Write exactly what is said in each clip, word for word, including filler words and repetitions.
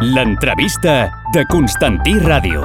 L'entrevista de Constantí Ràdio.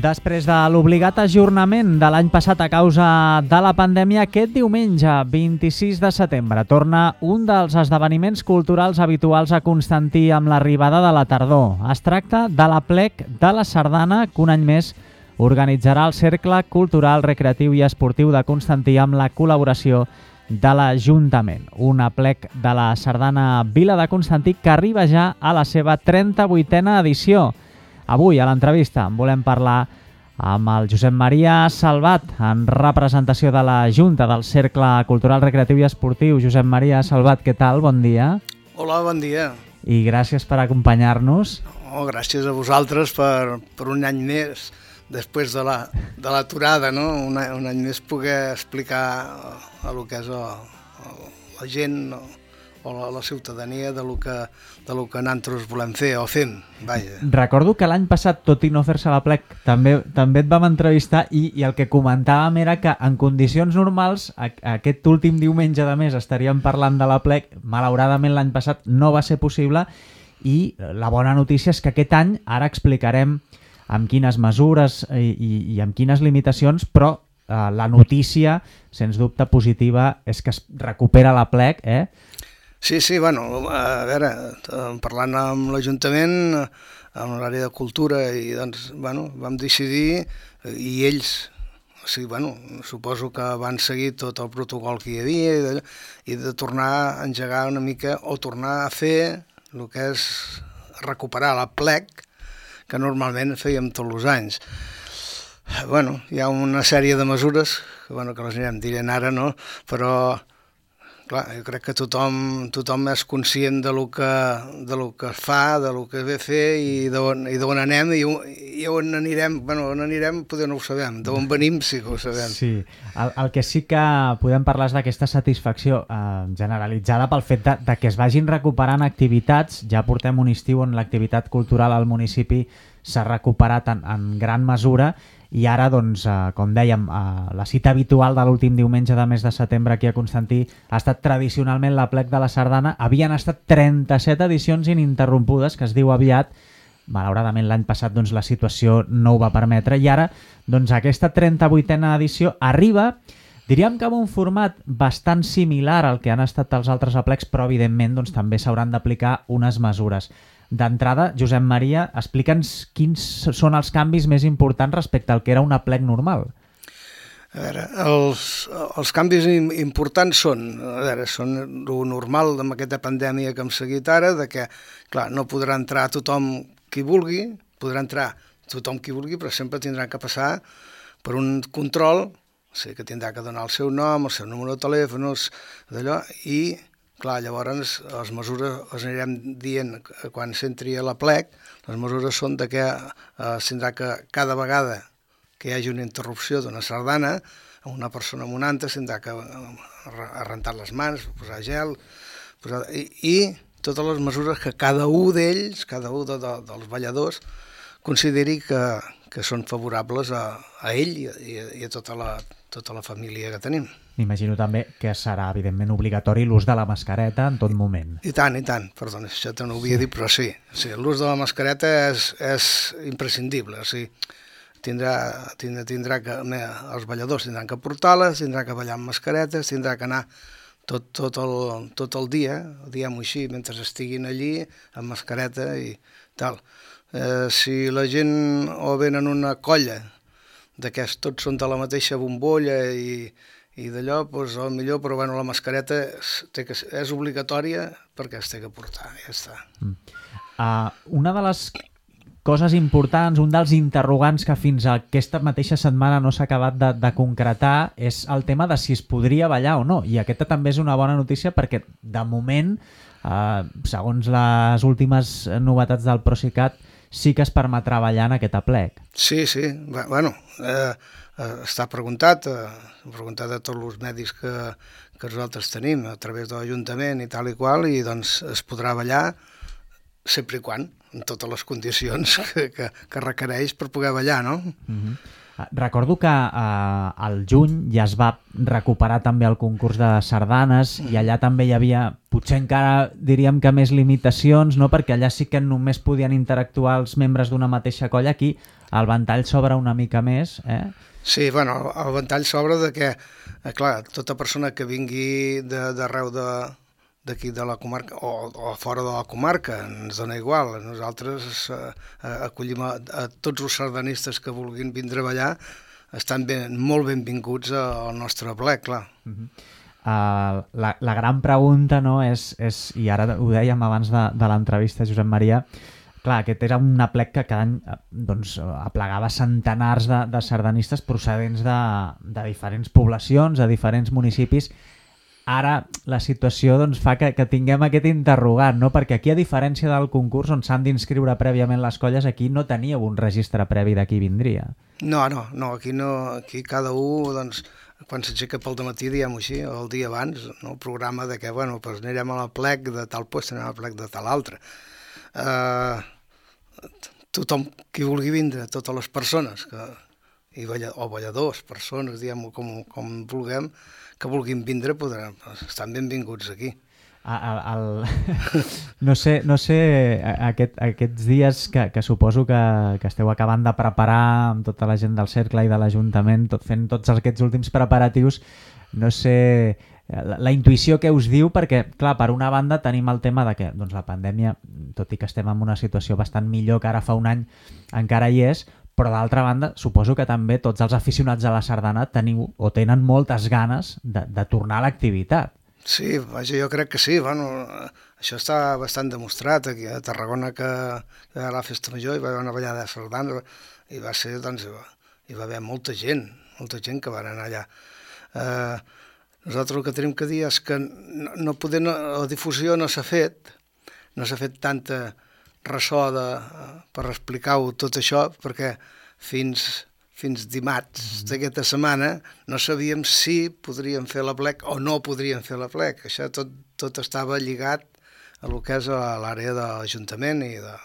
Després de l'obligat ajornament de l'any passat a causa de la pandèmia, aquest diumenge, vint-i-sis de setembre, torna un dels esdeveniments culturals habituals a Constantí amb l'arribada de la tardor. Es tracta de l'Aplec de la Sardana, que un any més organitzarà el Cercle Cultural, Recreatiu i Esportiu de Constantí amb la col·laboració de l'Ajuntament. Un Aplec de la Sardana Vila de Constantí que arriba ja a la seva trenta-vuitena edició. Avui, a l'entrevista, en volem parlar amb el Josep Maria Salvat, en representació de la Junta del Cercle Cultural, Recreatiu i Esportiu. Josep Maria Salvat, què tal? Bon dia. Hola, bon dia. I gràcies per acompanyar-nos. Oh, gràcies a vosaltres per, per un any més, després de la, de l'aturada, no? Un, un any més poder explicar el que és el, el, la gent, no? o la, la ciutadania de lo que, de lo que nosaltres volem fer o fem, vaja. Recordo que l'any passat, tot i no fer-se l'Aplec, també, també et vam entrevistar i, i el que comentàvem era que en condicions normals, a, aquest últim diumenge de mes estaríem parlant de l'Aplec. Malauradament l'any passat no va ser possible i la bona notícia és que aquest any ara explicarem amb quines mesures i, i, i amb quines limitacions, però eh, la notícia, sens dubte positiva, és que es recupera l'Aplec, eh? Sí, sí, bueno, a veure, parlant amb l'Ajuntament, amb l'àrea de cultura, i doncs, bueno, vam decidir, i ells, o sigui, bueno, suposo que van seguir tot el protocol que hi havia, i de, i de tornar a engegar una mica, o tornar a fer el que és recuperar l'Aplec, que normalment fèiem tots els anys. Bueno, hi ha una sèrie de mesures, que, bueno, que les anirem dient ara, no?, però... Clar, jo crec que tothom, tothom és conscient de lo que, de lo que es fa, de lo que ve a fer i d'on anem i, i on anirem. Bueno, on anirem potser no ho sabem, d'on venim sí que ho sabem. Sí, el, el que sí que podem parlar és d'aquesta satisfacció eh, generalitzada pel fet de, de que es vagin recuperant activitats. Ja portem un estiu on l'activitat cultural al municipi s'ha recuperat en, en gran mesura. I ara, doncs, eh, com dèiem, eh, la cita habitual de l'últim diumenge de mes de setembre aquí a Constantí ha estat tradicionalment l'Aplec de la Sardana. Havien estat trenta-set edicions ininterrompudes, que es diu aviat. Malauradament l'any passat doncs, la situació no ho va permetre i ara doncs, aquesta trenta-vuitena edició arriba, diríem que amb un format bastant similar al que han estat els altres aplecs, però evidentment doncs, també s'hauran d'aplicar unes mesures. D'entrada, Josep Maria, explica'ns quins són els canvis més importants respecte al que era un aplec normal. A veure, els, els canvis importants són, a veure, són el normal amb aquesta pandèmia que hem seguit ara, de que, clar, no podrà entrar tothom qui vulgui, podrà entrar tothom qui vulgui, però sempre tindrà que passar per un control, o sigui que tindrà que donar el seu nom, el seu número de telèfon, d'allò, i... Clar, llavors les mesures les anirem dient quan s'entri a l'Aplec, les mesures són de que eh, tindrà que cada vegada que hi hagi una interrupció d'una sardana, una persona amb una altra tindrà que rentar les mans, posar gel, posar, i, i totes les mesures que cada un d'ells, cada un de, de, dels balladors, consideri que, que són favorables a, a ell i, i, i a tota la, tota la família que tenim. M'imagino també que serà, evidentment, obligatori l'ús de la mascareta en tot moment. I tant, i tant. Perdona, això te no ho havia dit, però sí. sí l'ús de la mascareta és, és imprescindible. O sigui, tindrà, tindrà, tindrà que, els balladors tindran que portar-les, tindrà que ballar amb mascaretes, tindrà que anar tot, tot, el, tot el dia, diguem-ho així, mentre estiguin allí, amb mascareta i tal. Eh, si la gent o venen una colla d'aquests, tots són de la mateixa bombolla i i d'allò, doncs, al millor, però bueno, la mascareta és, té que, és obligatòria perquè es té que portar, ja està. Mm. Uh, una de les coses importants, un dels interrogants que fins a aquesta mateixa setmana no s'ha acabat de, de concretar és el tema de si es podria ballar o no, i aquesta també és una bona notícia perquè de moment, uh, segons les últimes novetats del Procicat, sí que es permetrà ballar en aquest aplec. Sí, sí, bueno, eh, eh, està preguntat, eh, preguntat a tots els medis que, que nosaltres tenim a través de l'Ajuntament i tal i qual, i doncs es podrà ballar sempre i quan, en totes les condicions que, que, que requereix per poder ballar, no? Mm-hmm. Recordo que eh, al juny ja es va recuperar també el concurs de sardanes i allà també hi havia, potser encara diríem que més limitacions, no? Perquè allà sí que només podien interactuar els membres d'una mateixa colla. Aquí el ventall s'obre una mica més. Eh? Sí, bueno, el ventall s'obre de que, eh, clar, tota persona que vingui d'arreu de, d'aquí de la comarca o, o fora de la comarca, ens dona igual. Nosaltres eh, acollim a, a tots els sardanistes que vulguin vindre a ballar, estan ben, molt benvinguts al nostre aplec, clar. Uh-huh. uh, la, la gran pregunta, no, és, és, i ara ho dèiem abans de, de l'entrevista, Josep Maria, clar, aquest era un aplec que cada any doncs, aplegava centenars de, de sardanistes procedents de, de diferents poblacions, de diferents municipis. Ara la situació doncs, fa que, que tinguem aquest interrogant, no? Perquè aquí, a diferència del concurs on s'han d'inscriure prèviament les colles, aquí no teníeu un registre previ de qui vindria. No, no, no, aquí no, aquí cada un, doncs, quan s'aixeca pel dematí, diguem-ho així, el dia abans, no? El programa de que, bueno, doncs anirem a l'aplec de tal lloc, anirem a l'aplec de tal altre. Uh, tothom qui vulgui vindre, totes les persones, que, i balla, o balladors, persones, diguem-ho com, com vulguem, que vulguin vindre, podran, estan benvinguts aquí. El, el... No sé, no sé aquest, aquests dies que, que suposo que, que esteu acabant de preparar amb tota la gent del cercle i de l'Ajuntament, tot, fent tots aquests últims preparatius, no sé la, la intuïció que us diu, perquè, clar, per una banda tenim el tema de que doncs, la pandèmia, tot i que estem en una situació bastant millor que ara fa un any, encara hi és, però d'altra banda, suposo que també tots els aficionats a la sardana teniu o tenen moltes ganes de, de tornar a l'activitat. Sí, vaja, jo crec que sí. Bueno, això està bastant demostrat. Aquí a Tarragona, que, que a la Festa Major hi va haver una ballada de sardana i va ser, doncs, hi va haver molta gent, molta gent que va anar allà. Eh, nosaltres el que tenim que dir és que no, no poder, no, la difusió no s'ha fet, no s'ha fet tanta ressò de, per explicar-ho tot això, perquè fins, fins dimarts d'aquesta setmana no sabíem si podríem fer l'aplec o no podríem fer l'aplec. Això tot, tot estava lligat a lo que és l'àrea de l'Ajuntament i de,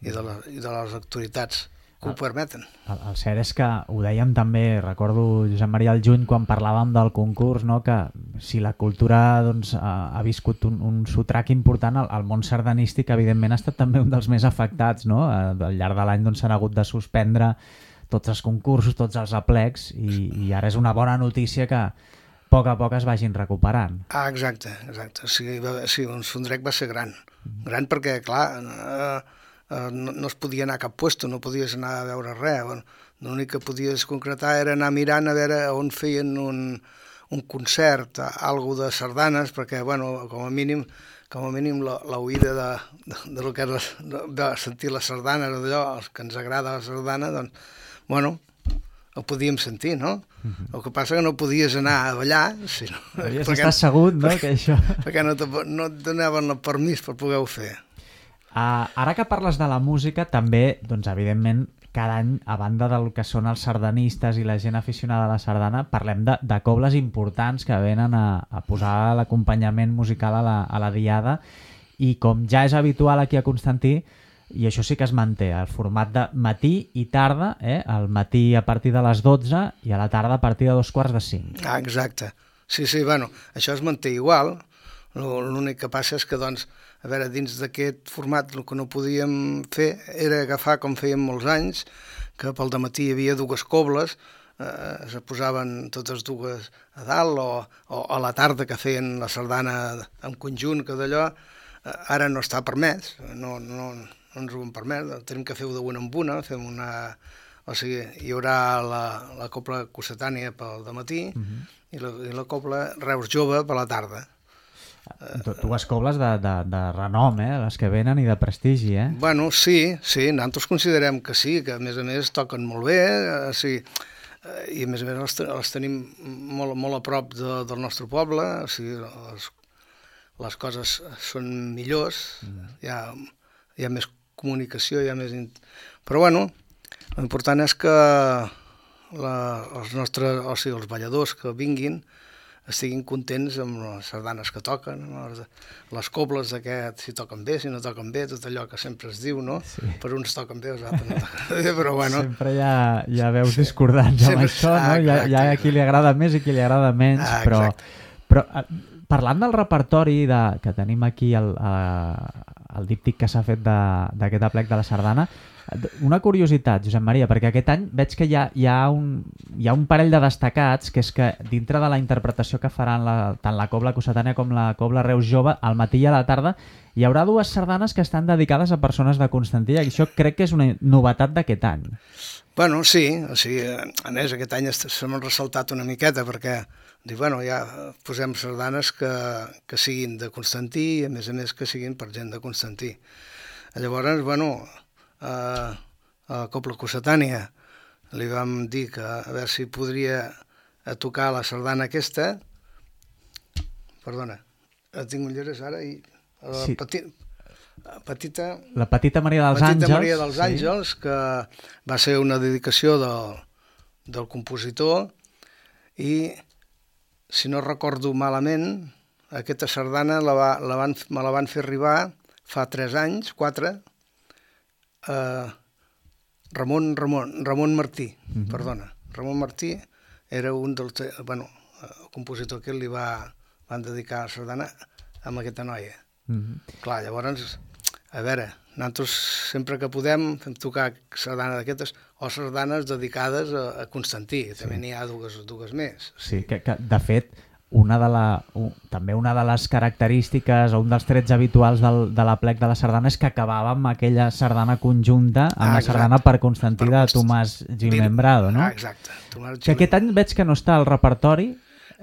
i, de la, i de les autoritats que ho permeten. El, el cert és que ho dèiem també, recordo, Josep Maria, al juny, quan parlàvem del concurs, no? Que si la cultura doncs, ha, ha viscut un, un sotrac important, el, el món sardanístic evidentment ha estat també un dels més afectats, no? Al llarg de l'any doncs, s'han hagut de suspendre tots els concursos, tots els aplecs, i, i ara és una bona notícia que a poc a poc es vagin recuperant. Ah, exacte, exacte. Sí, va, sí, un sondrec va ser gran. Gran perquè, clar, eh, Uh, no, no es podia anar a cap puesto, no podies anar a veure res. Bueno, l'únic que podies concretar era anar mirant a veure on feien un, un concert, algo de sardanes, perquè, bueno, com a mínim, com a mínim l'oïda de, de, de lo que era de, de sentir la sardana, d'allò, els que ens agrada la sardana, doncs, bueno, ho podíem sentir, no? Uh-huh. El que passa que no podies anar a ballar, sinó, Havies d'estar assegut, no? Que això... perquè no, te, no et donaven el permís per poder-ho fer. Uh, ara que parles de la música, també, doncs, evidentment, cada any, a banda del que són els sardanistes i la gent aficionada a la sardana, parlem de, de cobles importants que venen a, a posar l'acompanyament musical a la, a la diada, i com ja és habitual aquí a Constantí, i això sí que es manté, el format de matí i tarda, eh? El matí a partir de les dotze i a la tarda a partir de dos quarts de cinc. Ah, exacte. Sí, sí, bueno, això es manté igual. L'únic que passa és que, doncs, a veure, dins d'aquest format el que no podíem fer era agafar, com fèiem molts anys, que pel dematí hi havia dues cobles, eh, se posaven totes dues a dalt, o, o a la tarda que feien la sardana en conjunt, que d'allò, eh, ara no està permès, no, no, no ens ho han permès, tenim que fer-ho d'una en una, fem una... O sigui, hi haurà la, la cobla cossetània pel dematí uh-huh. i, la, i la cobla Reus Jove per la tarda. Dues cobles de, de, de renom, eh? Les que venen i de prestigi, eh? Bueno, sí, sí, nosaltres considerem que sí, que a més a més toquen molt bé, eh, sí, eh, i a més a més les, les tenim molt, molt a prop de, del nostre poble, o sigui, les, les coses són millors, mm. hi, ha, hi ha més comunicació, hi ha més... In... Però bueno, l'important és que la, els nostres, o sigui, els balladors que vinguin estiguin contents amb les sardanes que toquen, no? Les cobles d'aquest, si toquen bé, si no toquen bé, tot allò que sempre es diu, no? Sí. Per uns toquen bé, els altres no toquen bé, però bueno... Sempre hi ha, hi ha veus sí. discordants amb sempre, això, no? Hi ha, hi ha a qui li agrada més i qui li agrada menys, ah, però, però parlant del repertori de, que tenim aquí, el, el díptic que s'ha fet d'aquest aplec de la sardana, una curiositat, Josep Maria, perquè aquest any veig que hi ha, hi ha, un, hi ha un parell de destacats, que és que dintre de la interpretació que faran la, tant la Cobla Cossetània com la Cobla Reus Jove, al matí i a la tarda, hi haurà dues sardanes que estan dedicades a persones de Constantí, i això crec que és una novetat d'aquest any. Bueno, sí, o sigui, a més, aquest any s'hem ressaltat una miqueta, perquè dic, bueno, ja posem sardanes que, que siguin de Constantí, i a més a més que siguin per gent de Constantí. Llavors, bueno... Uh, a Cobla Cossetània li vam dir que a veure si podria tocar la sardana aquesta, perdona, tinc ulleres ara i la sí. peti, petita la petita Maria dels petita Àngels, Maria dels Àngels sí. que va ser una dedicació del, del compositor, i si no recordo malament aquesta sardana la va, la van, me la van fer arribar fa tres anys, quatre. Uh, Ramon, Ramon, Ramon Martí, mm-hmm. perdona, Ramon Martí era un dels, bueno, el compositor que li va, van dedicar a sardana amb aquesta noia. Mm-hmm. Clar, llavors, a veure, nosaltres sempre que podem fem tocar sardana d'aquestes o sardanes dedicades a, a Constantí, sí. També n'hi ha dues, dues més. Sí, que, que de fet, una de la, un, també una de les característiques o un dels trets habituals del, de l'aplec de la sardana és que acabava amb aquella sardana conjunta amb ah, la sardana per Constantí per de Tomàs Gimembrado, no? Ah, exacte. Tomàs que aquest any veig que no està al repertori.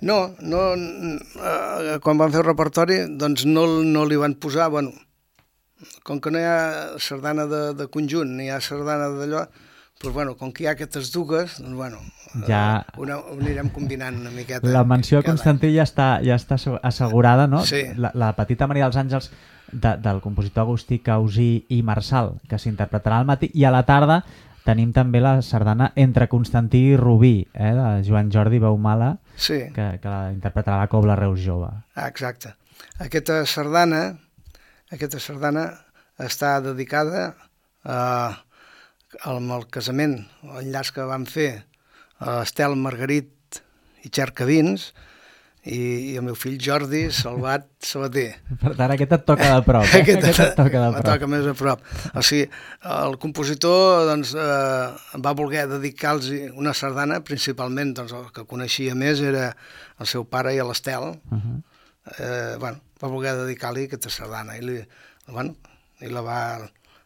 No, no eh, quan van fer el repertori doncs no, no li van posar, bueno, com que no hi ha sardana de, de conjunt, ni hi ha sardana d'allò, doncs, bueno, com que hi ha aquestes dues, doncs, bueno, ja... una, ho anirem combinant una miqueta. La menció a Constantí ja està, ja està assegurada, no? Sí. La, la petita Maria dels Àngels de, del compositor Agustí Causí i Marçal, que s'interpretarà al matí, i a la tarda tenim també la sardana Entre Constantí i Rubí, eh, de Joan Jordi Beumala, sí. que, que la interpretarà la Cobla Reus Jove. Ah, exacte. Aquesta sardana, aquesta sardana està dedicada a... amb el casament, l'enllaç que vam fer a Estel Margarit i Xercavins i, i el meu fill Jordi Salvat Sabater. Per tant, aquest et toca de prop. Eh? Aquest, aquest et toca de prop. Me toca més a prop. O sigui, el compositor doncs, eh, va voler dedicar-los una sardana, principalment doncs, el que coneixia més era el seu pare i l'Estel. Uh-huh. eh, bueno, va voler dedicar-li aquesta sardana i, li, bueno, i la va...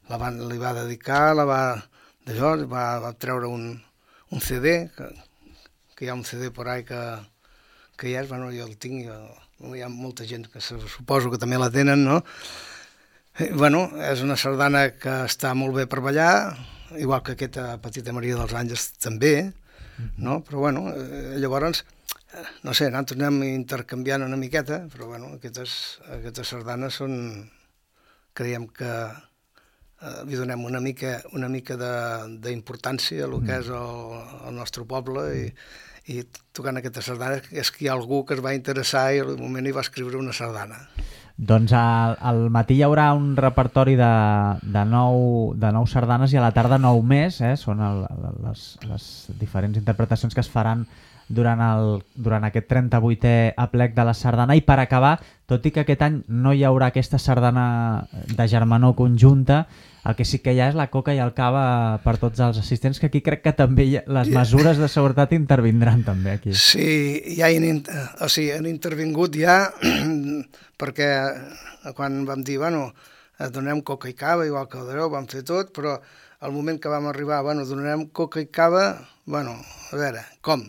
La van, li va dedicar, la va, d'allò, va, va treure un, un ce de, que, que hi ha un ce de por ahí que, que hi és, bueno, jo el tinc, jo, hi ha molta gent que suposo que també la tenen, no? I, bueno, és una sardana que està molt bé per ballar, igual que aquesta petita Maria dels Àngels també, no? Però bueno, eh, llavors, no sé, nosaltres anem intercanviant una miqueta, però bueno, aquestes, aquestes sardanes són, creiem que Uh, li donem una mica, una mica d'importància a el que és el, el nostre poble i, i tocant aquesta sardana és que hi ha algú que es va interessar i al moment hi va escriure una sardana. Doncs al, al matí hi haurà un repertori de, de, nou, de nou sardanes i a la tarda nou més, eh? Són el, les, les diferents interpretacions que es faran durant, el, durant aquest trenta-vuitè aplec de la sardana. I per acabar, tot i que aquest any no hi haurà aquesta sardana de germanor conjunta, el que sí que hi ha és la coca i el cava per tots els assistents, que aquí crec que també hi ha, les mesures de seguretat intervindran també aquí. Sí, ja han, o sigui, han intervingut ja perquè quan vam dir, bueno, donarem coca i cava, igual que el d'allò, vam fer tot, però al moment que vam arribar, bueno, donarem coca i cava, bueno, a veure, com?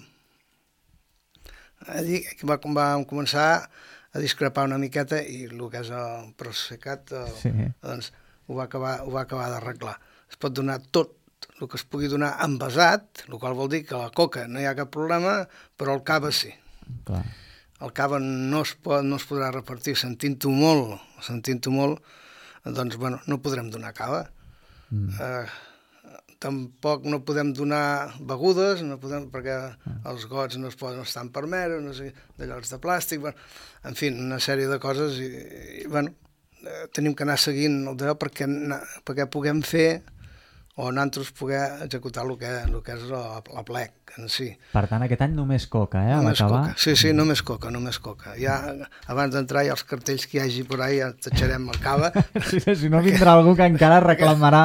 Allí vam començar a discrepar una miqueta i el que és el Procicat, sí. doncs, ho va acabar, ho va acabar d'arreglar. Es pot donar tot el que es pugui donar envasat, el qual vol dir que la coca no hi ha cap problema, però el cava sí. Clar. El cava no es, pot, no es podrà repartir, sentint-ho molt, sentint-ho molt, doncs bueno, no podrem donar cava. Mm. Eh, tampoc no podem donar begudes, no podem, perquè mm. els gots no es poden estar permesos, no sé, de llocs de plàstic, bueno, en fi, una sèrie de coses i, i bueno, eh, tenim que anar seguint el d'allò perquè, perquè puguem fer o nosaltres poder executar el que, el que és la, la plec en si. Per tant, aquest any només coca, eh? Només coca. Sí, sí, només coca, només coca. Ja, abans d'entrar, ja els cartells que hi hagi por ahí, ja t'eixarem el cava. Sí, si no vindrà algú que encara reclamarà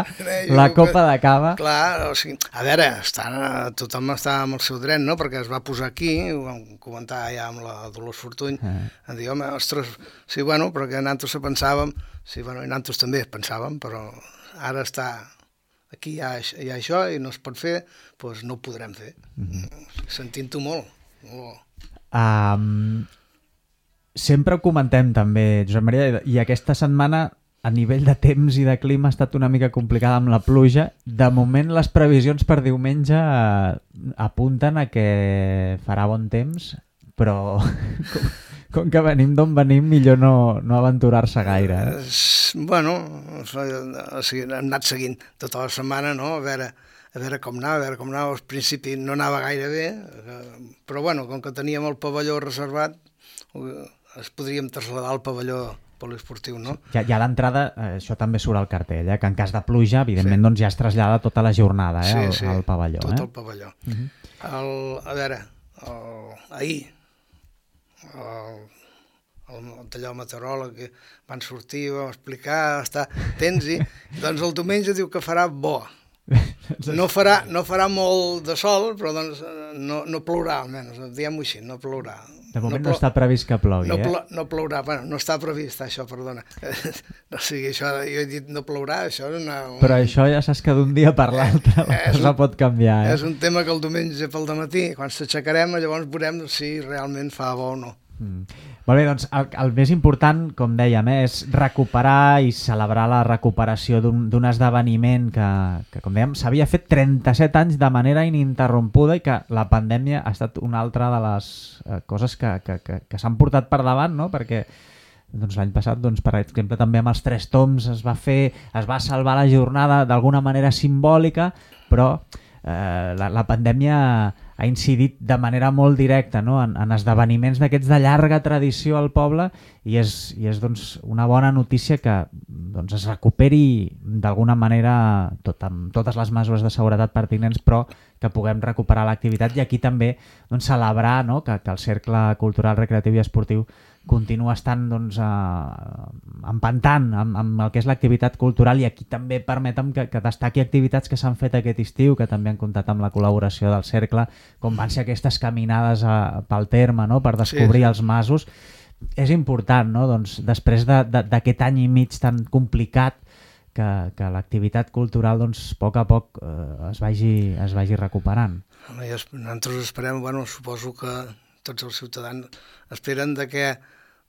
la copa de cava. Clar, o sigui, a veure, està, tothom està amb el seu dret, no?, perquè es va posar aquí, ho vam comentar ja amb la Dolors Fortuny, eh. a dir, home, ostres, sí, bueno, però que nosaltres pensàvem, sí, bueno, i nosaltres també pensàvem, però ara està... aquí hi ha, hi ha això i no es pot fer, doncs no ho podrem fer. Mm-hmm. Sentint-ho molt. molt. Um, sempre ho comentem també, Josep Maria, i aquesta setmana a nivell de temps i de clima ha estat una mica complicada amb la pluja. De moment les previsions per diumenge apunten a que farà bon temps, però... Com que venim d'on venim, millor no, no aventurar-se gaire. Eh? Bueno, o sigui, hem anat seguint tota la setmana, no? A veure, a veure com anava, a veure com anava. Al principi no anava gaire bé, però bueno, com que teníem el pavelló reservat, es podríem traslladar al pavelló poliesportiu, no? Ja, ja d'entrada, això també surt al cartell, eh? Que en cas de pluja, evidentment, sí. doncs ja es trasllada tota la jornada eh? sí, al, sí, al pavelló. tot eh? el pavelló. Uh-huh. el, a veure, el, ahir, el, el, allò meteoròleg que van sortir, vam explicar, estar tens i doncs el diumenge diu que farà bo. No farà, no farà molt de sol, però doncs no, no plourà, almenys, diguem-ho així, no plourà. De moment no, no està previst que plogui, no, eh? Plo, no plourà, bueno, no està previst això, perdona. No sigui això, jo he dit no plourà, això és una... Un... Però això ja saps que d'un dia per l'altre la cosa un, pot canviar, eh? És un tema que el diumenge pel dematí, quan s'aixecarem, llavors veurem si realment fa bo o no. Mm. Molt bé, doncs el, el més important, com dèiem, eh, és recuperar i celebrar la recuperació d'un esdeveniment que, que, com dèiem, s'havia fet trenta-set anys de manera ininterrompuda i que la pandèmia ha estat una altra de les eh, coses que, que, que, que s'han portat per davant, no? Perquè doncs, l'any passat, doncs, per exemple, també amb els Tres Tombs es va fer, es va salvar la jornada d'alguna manera simbòlica, però eh, la, la pandèmia ha incidit de manera molt directa, no? en, en esdeveniments d'aquests de llarga tradició al poble i és, i és doncs, una bona notícia que doncs, es recuperi d'alguna manera tot, amb totes les mesures de seguretat pertinents, però que puguem recuperar l'activitat i aquí també doncs, celebrar no? que, que el Cercle Cultural, Recreatiu i Esportiu continua estant doncs, eh, empantant amb, amb el que és l'activitat cultural i aquí també permetem que, que destaqui activitats que s'han fet aquest estiu, que també han comptat amb la col·laboració del Cercle, com van ser aquestes caminades a, pel terme no? Per descobrir sí, sí. els masos. És important, no? doncs, després d'aquest de, any i mig tan complicat, que, que l'activitat cultural doncs, a poc a poc eh, es, vagi, es vagi recuperant. Nosaltres esperem, bueno, suposo que tots els ciutadans esperen de que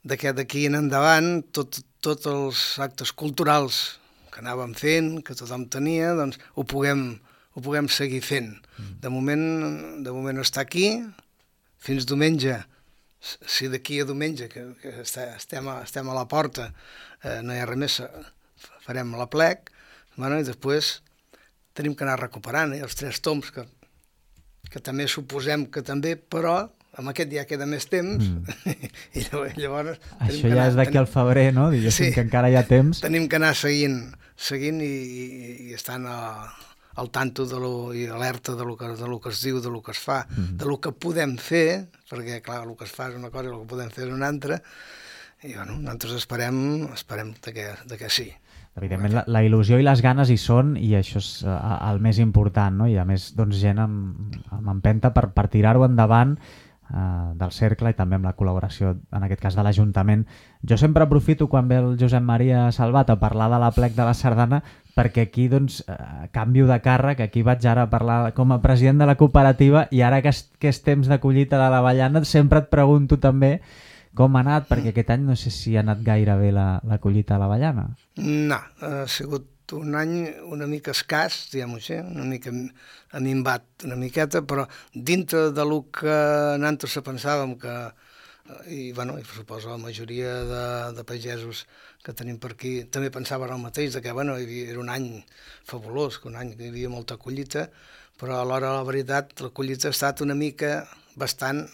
de que d'aquí en endavant tots tot els actes culturals que anàvem fent, que tothom tenia, doncs ho puguem, ho puguem seguir fent. De moment, de moment està aquí, fins diumenge. Si d'aquí a diumenge, que, que estem, a, estem a la porta, eh, no hi ha res més, farem la plec, bueno, i després tenim que anar recuperant eh, els Tres Tombs, que, que també suposem que també, però amb aquest ja queda més temps mm. i llavors... Això ja anar, és d'aquí al febrer, no? Diguéssim sí, que encara hi ha temps. Tenim que anar seguint, seguint i, i, i estant a, al tanto de lo, i alerta de lo, que, de lo que es diu, de lo que es fa, mm. de lo que podem fer, perquè clar, el que es fa és una cosa i el que podem fer és una altra, i bueno, nosaltres esperem, esperem de que, de que sí. Evidentment, la, la il·lusió i les ganes hi són i això és uh, el més important, no? I a més, doncs, gent amb, amb empenta per, per tirar-ho endavant uh, del Cercle i també amb la col·laboració, en aquest cas, de l'Ajuntament. Jo sempre aprofito quan ve el Josep Maria Salvat a parlar de la plec de la Sardana perquè aquí, doncs, uh, canvio de càrrec, aquí vaig ara a parlar com a president de la cooperativa i ara que és, que és temps de collita de l'avellana sempre et pregunto també com ha anat, perquè aquest any no sé si ha anat gaire bé la, la collita a l'avellana. No, ha sigut un any una mica escàs, diguem-ho així, una mica ha minvat una miqueta, però dintre de lo que nosaltres pensàvem que, i bueno, i suposo la majoria de, de pagesos que tenim per aquí, també pensava el mateix, de que bueno, hi havia, era un any fabulós, que un any que hi havia molta collita, però alhora la veritat la collita ha estat una mica bastant,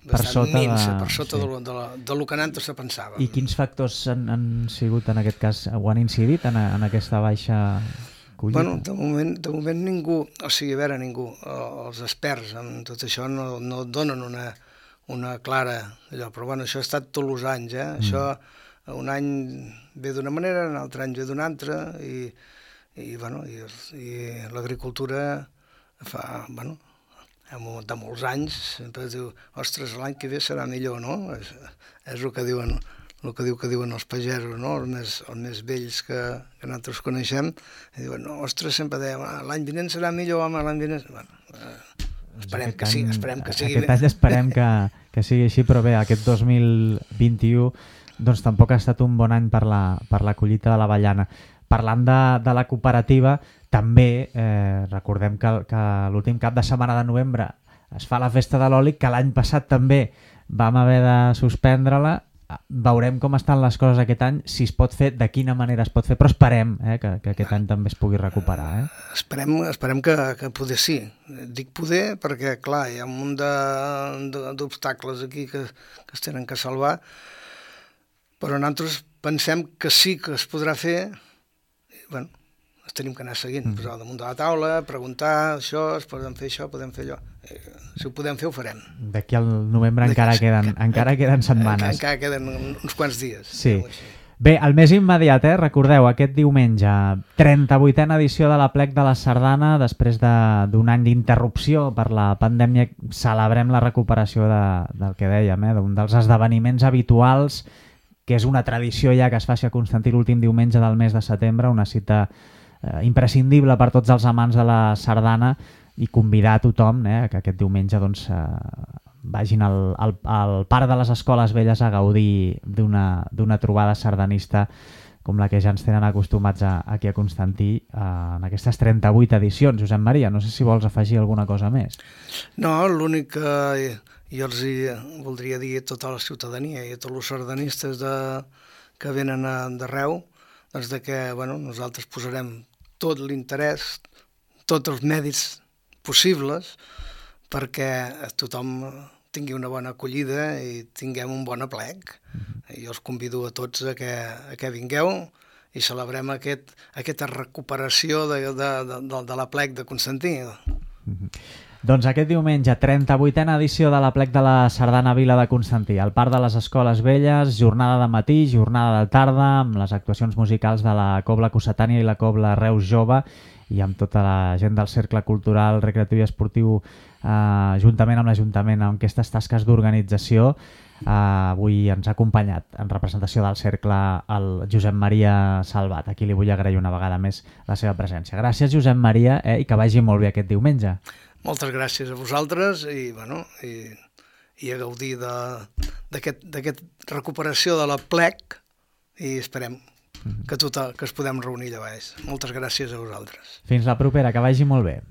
per bastant sota, minsa, de... per sota sí. de, lo, de, la, de lo que antes se pensava. I quins factors han, han sigut en aquest cas, o han incidit en, en aquesta baixa collita? Bueno, de moment, de moment ningú, o sigui, a veure, ningú, els experts en tot això no, no donen una, una clara allò, però bueno, això ha estat tots els anys, eh? Mm. Això un any ve d'una manera, un altre any ve d'una altra, i, i, bueno, i, i l'agricultura fa, bueno, de molts anys, sempre es diu, ostres, l'any que ve serà millor, no? És, és el que diuen, el que diu que diuen els pagesos, no? Els més, els més vells que, que nosaltres coneixem, i diuen, no, ostres, sempre deien, l'any vinent serà millor, home, l'any vinent... Bueno, eh, esperem que, sí, esperem que sigui aquest bé. Any esperem que, que sigui així, però bé, aquest dos mil vint-i-u doncs tampoc ha estat un bon any per la, per la collita de l'avellana. Parlant de, de la cooperativa, també eh, recordem que, que l'últim cap de setmana de novembre es fa la festa de l'oli, que l'any passat també vam haver de suspendre-la. Veurem com estan les coses aquest any, si es pot fer, de quina manera es pot fer, però esperem eh, que, que aquest any també es pugui recuperar. Eh? Esperem, esperem que, que poder sí. Dic poder perquè, clar, hi ha un munt d'obstacles aquí que, que es tenen que salvar, però nosaltres pensem que sí que es podrà fer. Bueno, els tenim que anar seguint, mm. posar damunt de la taula, preguntar això, es podem fer això, podem fer allò. Eh, si ho podem fer, ho farem. D'aquí al novembre encara queden, encara queden setmanes. Encara queden uns quants dies. Sí. Bé, el més immediat, eh? Recordeu, aquest diumenge, trenta-vuitena edició de l'Aplec de la Sardana, després d'un any d'interrupció per la pandèmia, celebrem la recuperació de, del que dèiem, eh? D'un dels esdeveniments habituals, que és una tradició ja que es faci a Constantí l'últim diumenge del mes de setembre, una cita eh, imprescindible per tots els amants de la sardana, i convidar a tothom eh, que aquest diumenge doncs, eh, vagin al, al, al Parc de les Escoles Velles a gaudir d'una trobada sardanista com la que ja ens tenen acostumats a, aquí a Constantí eh, en aquestes trenta-vuit edicions. Josep Maria, no sé si vols afegir alguna cosa més. No, l'únic que jo els hi voldria dir a tota la ciutadania i a tots els sardanistes de, que venen d'arreu, doncs de que bueno, nosaltres posarem tot l'interès, tots els mèdits possibles perquè tothom tingui una bona acollida i tinguem un bon aplec. Mm-hmm. Jo els convido a tots a que, a que vingueu i celebrem aquest, aquesta recuperació de, de, de, de, de l'aplec de Constantí. Mm-hmm. Doncs aquest diumenge, trenta-vuitena edició de l'Aplec de la Sardana Vila de Constantí, al Parc de les Escoles Velles, jornada de matí, jornada de tarda, amb les actuacions musicals de la Cobla Cossetània i la Cobla Reus Jove, i amb tota la gent del Cercle Cultural, Recreatiu i Esportiu, eh, juntament amb l'Ajuntament, amb aquestes tasques d'organització. Eh, avui ens ha acompanyat en representació del Cercle el Josep Maria Salvat, a qui li vull agrair una vegada més la seva presència. Gràcies, Josep Maria, eh, i que vagi molt bé aquest diumenge. Moltes gràcies a vosaltres i, bueno, i, i a gaudir d'aquesta recuperació de l'aplec i esperem que, tot, que es podem reunir allà baix. Moltes gràcies a vosaltres. Fins la propera, que vagi molt bé.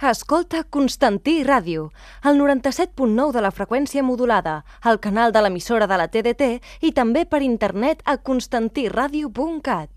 Escolta Constantí Ràdio, el noranta-set punt nou de la freqüència modulada, al canal de l'emissora de la T D T i també per internet a constantiradio punt cat.